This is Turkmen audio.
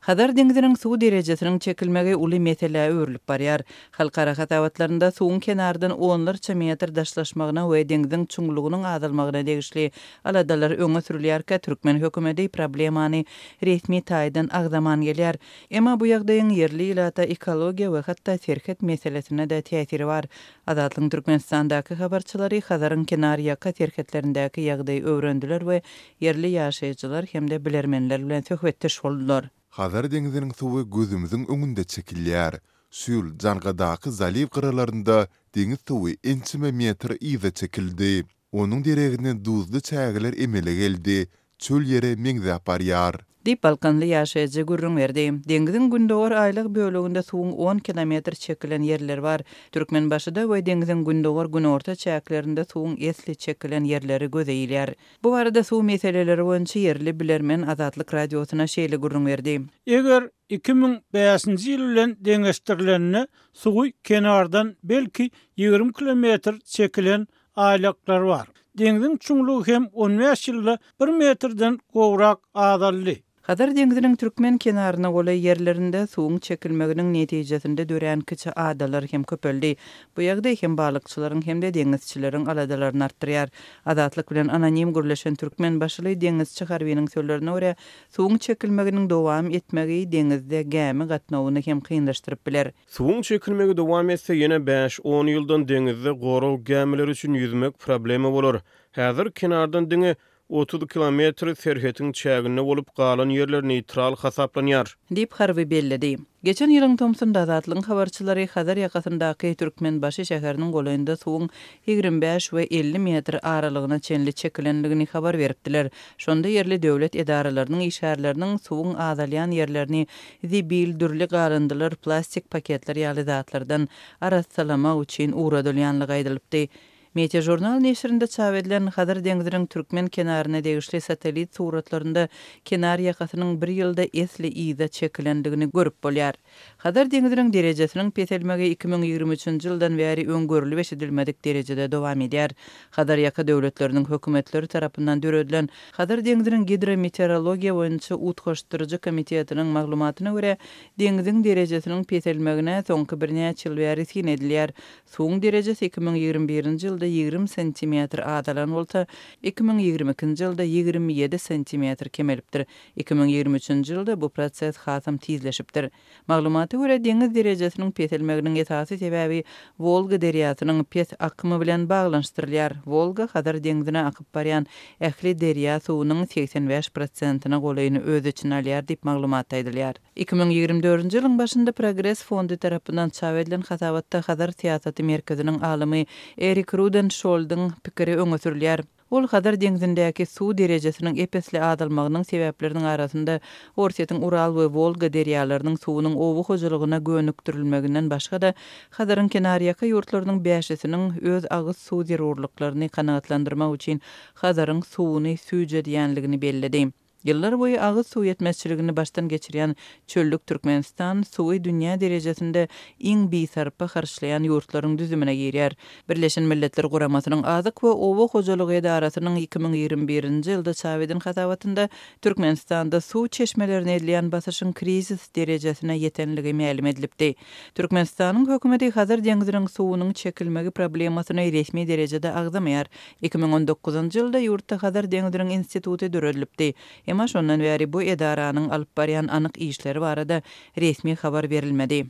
Hazar deňziniň suw derejesiniň çekilmegi uly meselä öwrülip barýar. Halkara hasabatlarynda suwuň kenardan onlarça metr daşlaşmagyna we deňziň çuňlugynyň azalmagyna degişli aladalar öňe sürülýärkä, türkmen hökümeti problemany resmi taýdan agzaman gelýär. Emma bu ýagdaýyň ýerli ilata, ekologiýa we hatda serhet meselesine-de täsiri bar. Azatlygyň Türkmenistandaky habarçylary Hazaryň kenarýaka serhetlerindäki ýagdaýy öwrendiler we ýerli ýaşaýjylar hem-de bilermenler bilen söhbetdeş boldular. Hazar deňziniň suwy gözümiziň öňünde çekilýär. Şu ýyl Jangadaky zaliw gyralarynda deňiz suwy ençeme metr yza çekildi. Onuň deregine duzly çägeler emele geldi, çöl ýere meňzäp barýar. Diýip, balkanly ýaşaýjy gürrüň berdi. Deňziň gündogar aýlag böleginde suwuň on kilometr çekilen ýerleri bar. Türkmenbaşyda we deňziň gündogar-günorta çäklerinde suwuň esli çekilen ýerleri göze ilýär. Bu barada suw meseleleri boýunça ýerli bilermen Azatlyk Radiosyna şeýle gürrüň berdi. Eger 2005-nji ýyl bilen deňeşdirilende suwy kenardan belki 20 kilometr çekilen aýlaklar bar. Deňziň çuňlugy hem on bäş ýylda bir metrden gowrak azaldy. Hazar deňziniň türkmen kenaryna golaý ýerlerinde suwuň çekilmeginiň netijesinde dörän kiçi adalar hem köpeldi. Bu ýagdaý hem balykçylaryň hem-de deňizçileriň aladalaryny artdyrýar. Azatlyk bilen anonim gürleşen türkmenbaşyly deňizçi harbynyň sözlerine görä, suwuň çekilmeginiň dowam etmegi deňizde gämi gatnawyny hem kynlaşdyryp biler. Suwuň çekilmegi dowam etse, ýene bäş-on ýyldan deňizde gorag gämileri üçin ýüzmek problema bolar. Häzir kenardan diňe 30 kilometr serhetiň çäginde bolup, galan ýerler neýtral hasaplanýar. Diýip, harby belledi. Geçen ýylyň tomsunda Azatlygyň habarçylary Hazar ýakasyndaky Türkmenbaşy şäheriniň golaýynda suwuň 25 we 50 metr aralygyna çenli çekilendigini habar beripdiler. Şonda ýerli döwlet edaralarynyň işgärleriniň suwuň azalýan ýerlerini zibil, dürli galyndylar, plastik paketler ýaly zatlardan arassalamak üçin ugradylýanlygy aýdylypdy. Meteožurnal neşirinde çap edilen Hazar deňziniň türkmen kenaryna degişli satellit suratlarynda kenar ýakasynyň bir ýylda esli yza çekilendigini görüp bolýar. Hazar deňziniň derejesiniň peselmegi 2023-nji ýyldan bäri öň görlüp-eşidilmedik derejede dowam edýär. Hazar ýaka döwletleriniň hökümetleri tarapyndan döredilen Hazar deňziniň gidrometeorologiýa boýunça utgaşdyryjy komitetiniň maglumatyna görä, deňziň derejesiniň peselmegine soňky birnäçe ýyl bäri syn edilýär. Suwuň derejesi 2021-nji ýylda 20 santimetr azalan bolsa, 2022-nji ýylda 27 santimetr kemelipdir. 2023-nji ýylda bu proses hasam tizleşipdir. Maglumata görä, deňiz derejesiniň peselmeginiň esasy sebäbi Wolga derýasynyň pes akymy bilen baglanyşdyrylýar. Wolga Hazar deňzine akyp barýan ähli derýa suwunyň 85 prosentine golaýyny öz içine alýar diýip, maglumatda aýdylýar. 2024-nji ýylyň başynda Progres fondy tarapyndan çap edilen hasabatda Hazar syýasaty merkeziniň alymy Erik Rudenşoldyň pikiri öňe sürülýär. Ol Hazar deňzindäki suw derejesiniň ep-esli azalmagynyň sebäpleriniň arasynda Orsýetiň Ural we Wolga derýalarynyň suwunyň oba hojalygyna gönükdirilmeginden başga-da, Hazaryň kenarýaka ýurtlarynyň bäşisiniň öz agyz suw zerurlyklaryny kanagatlandyrmak üçin Hazaryň suwuny süýjedýänligini belledi. Ýyllar boýy agyz suw ýetmezçiligini başdan geçirýän çöllük Türkmenistan suwy dünýä derejesinde iň bisarpa harçlaýan ýurtlaryň düzümine girýär. Birleşen Milletler Guramasynyň Azyk we oba hojalygy edarasynyň 2021-nji ýylda çap eden hasabatynda Türkmenistanda suw çeşmelerine edilýän basyşyň krizis derejesine ýetenligi mälim edilipdi. Türkmenistanyň hökümeti Hazar deňziniň suwunyň çekilmegi problemasyny resmi derejede agzamaýar. 2019-njy ýylda ýurtda Hazar deňziniň instituty döredilipdi. Emma şondan bäri bu edaranyň alyp barýan anyk işleri barada resmi habar berilmedi.